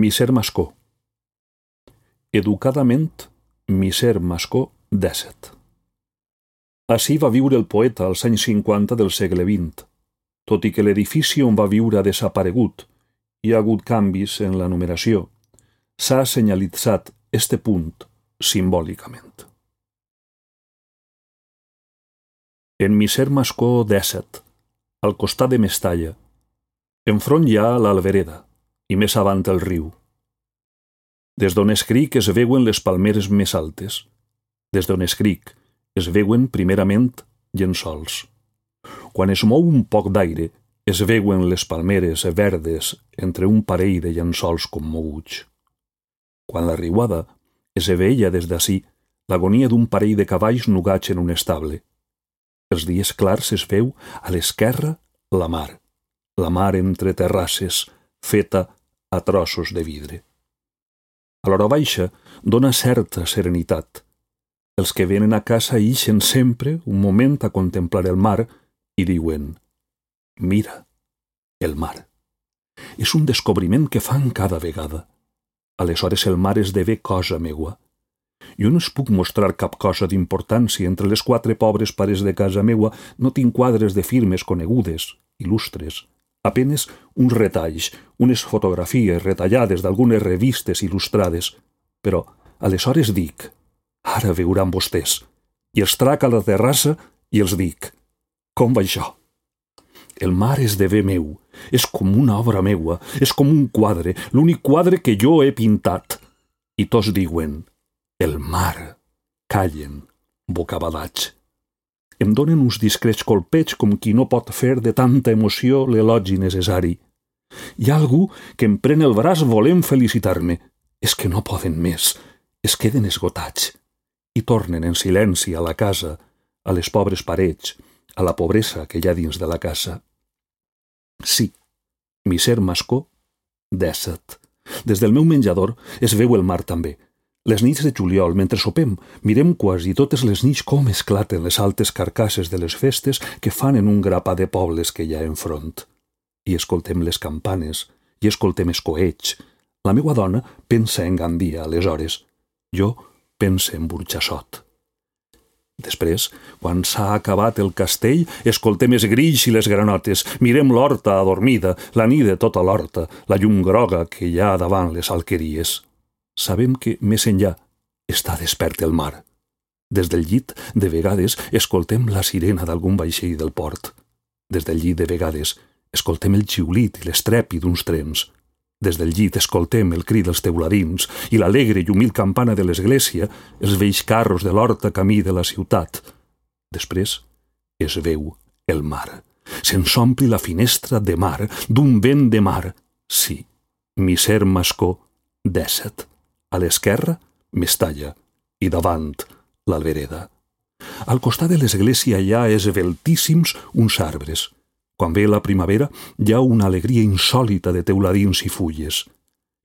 Misser Mascó. Educadament, Misser Mascó 17. Ací va viure el poeta als anys 50 del segle XX, tot i que l'edifici on va viure ha desaparegut, hi ha hagut canvis en la numeració. S'ha senyalitzat este punt simbòlicament. En Misser Mascó 17, al costat de Mestalla, enfront hi ha l'Albereda i més avant el riu. Des d'on escric es veuen les palmeres més altes. Des d'on escric es veuen primerament llençols. Quan es mou un poc d'aire es veuen les palmeres verdes entre un parell de llençols commoguts. Quan la riuada es veia des d'ací l'agonia d'un parell de cavalls nugats en un estable. Els dies clars es veu a l'esquerra la mar entre terrasses, feta a trossos de vidre. A l'hora baixa dona certa serenitat. Els que venen a casa ixen sempre un moment a contemplar el mar i diuen: «Mira, el mar». És un descobriment que fan cada vegada. Aleshores el mar esdevé cosa meua. Jo no es puc mostrar cap cosa d'importància. Entre les 4 pobres pares de casa meua no tinc quadres de firmes conegudes, il·lustres. Apenes uns retalls, unes fotografies retallades d'algunes revistes il·lustrades. Però aleshores dic: «Ara veuran vostès». I els trac a la terrassa i els dic: «Com va això?» El mar esdevé meu, és com una obra meua, és com un quadre, l'únic quadre que jo he pintat. I tots diuen: «El mar». Callen, bocabadats. Em donen uns discrets colpets com qui no pot fer de tanta emoció l'elogi necessari. Hi ha algú que em pren el braç volent felicitar-me. És que no poden més, es queden esgotats. I tornen en silenci a la casa, a les pobres parets, a la pobresa que hi ha dins de la casa. Sí, Misser Mascó 17. Des del meu menjador es veu el mar també. Les nits de juliol, mentre sopem, mirem quasi totes les nits com esclaten les altes carcasses de les festes que fan en un grapà de pobles que hi ha enfront. I escoltem les campanes, i escoltem els coets. La meua dona pensa en Gandia, aleshores. Jo pense en Burjassot. Després, quan s'ha acabat el castell, escoltem els grills i les granotes, mirem l'horta adormida, la nit de tota l'horta, la llum groga que hi ha davant les alqueries. Sabem que, més enllà, està despert el mar. Des del llit, de vegades, escoltem la sirena d'algun vaixell del port. Des del llit, de vegades, escoltem el xiulit i l'estrèpid d'uns trens. Des del llit escoltem el crit dels teuladins i l'alegre i humil campana de l'església, els vells carros de l'horta camí de la ciutat. Després es veu el mar. Se'ns ompli la finestra de mar, d'un vent de mar. Sí, Misser Mascó 17. A l'esquerra, Mestalla, i davant, l'Albereda. Al costat de l'església hi ha esveltíssims uns arbres. Quan ve la primavera, hi ha una alegria insòlita de teuladins i fulles.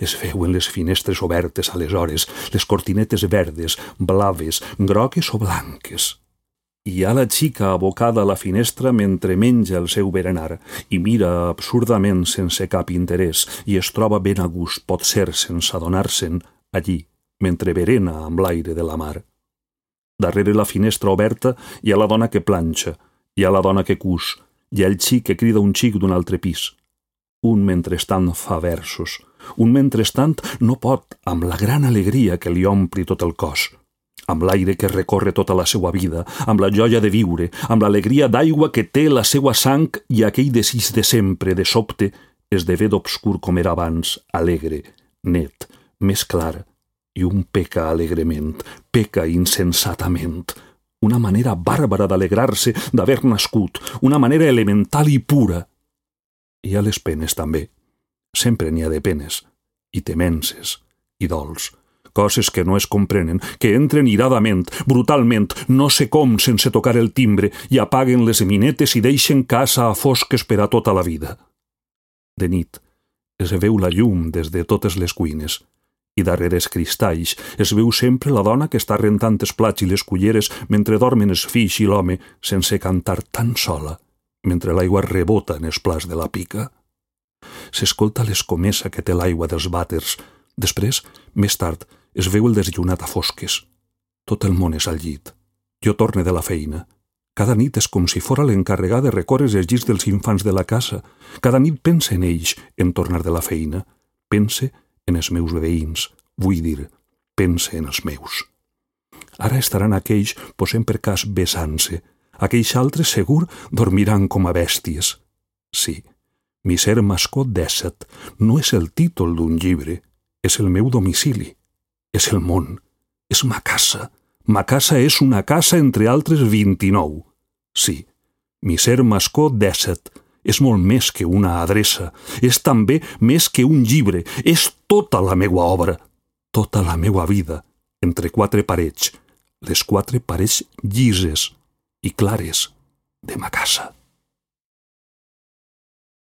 Es veuen les finestres obertes aleshores, les cortinetes verdes, blaves, grogues o blanques. Hi ha la xica abocada a la finestra mentre menja el seu berenar i mira absurdament sense cap interès i es troba ben a gust, pot ser sense adonar-se'n, allí, mentre berena amb l'aire de la mar. Darrere la finestra oberta hi ha la dona que planxa, hi ha la dona que cus, hi ha el xic que crida un xic d'un altre pis. Un mentrestant fa versos, un mentrestant no pot, amb la gran alegria que li ompli tot el cos, amb l'aire que recorre tota la seua vida, amb la joia de viure, amb l'alegria d'aigua que té la seua sang i aquell desig de sempre, de sobte, esdevé d'obscur com era abans, alegre, net, més clar, i un peca alegrement, peca insensatament. Una manera bàrbara d'alegrar-se d'haver nascut, una manera elemental i pura. Hi ha les penes també. Sempre n'hi ha de penes, i temences, i dols, coses que no es comprenen, que entren iradament, brutalment, no sé com, sense tocar el timbre, i apaguen les minetes i deixen casa a fosques per a tota la vida. De nit es veu la llum des de totes les cuines, i darrere els cristalls es veu sempre la dona que està rentant els plats i les culleres mentre dormen els fills i l'home sense cantar tan sola, mentre l'aigua rebota en els plats de la pica. S'escolta l'escomesa que té l'aigua dels vàters. Després, més tard, es veu el desllumat a fosques. Tot el món és al llit. Jo torne de la feina. Cada nit és com si fora l'encarregat de recórrer els llits dels infants de la casa. Cada nit pense en ells en tornar de la feina. Pense en els meus veïns. Vull dir, pense en els meus. Ara estaran aquells, posem per cas, besant-se. Aquells altres, segur, dormiran com a bèsties. Sí, Misser Mascó 17 no és el títol d'un llibre, és el meu domicili, és el món, és ma casa. Ma casa és una casa entre altres 29. Sí, Misser Mascó 17 és molt més que una adreça, és també més que un llibre, és tota la meua obra, tota la meua vida, entre quatre parets, les quatre parets llises i clares de ma casa.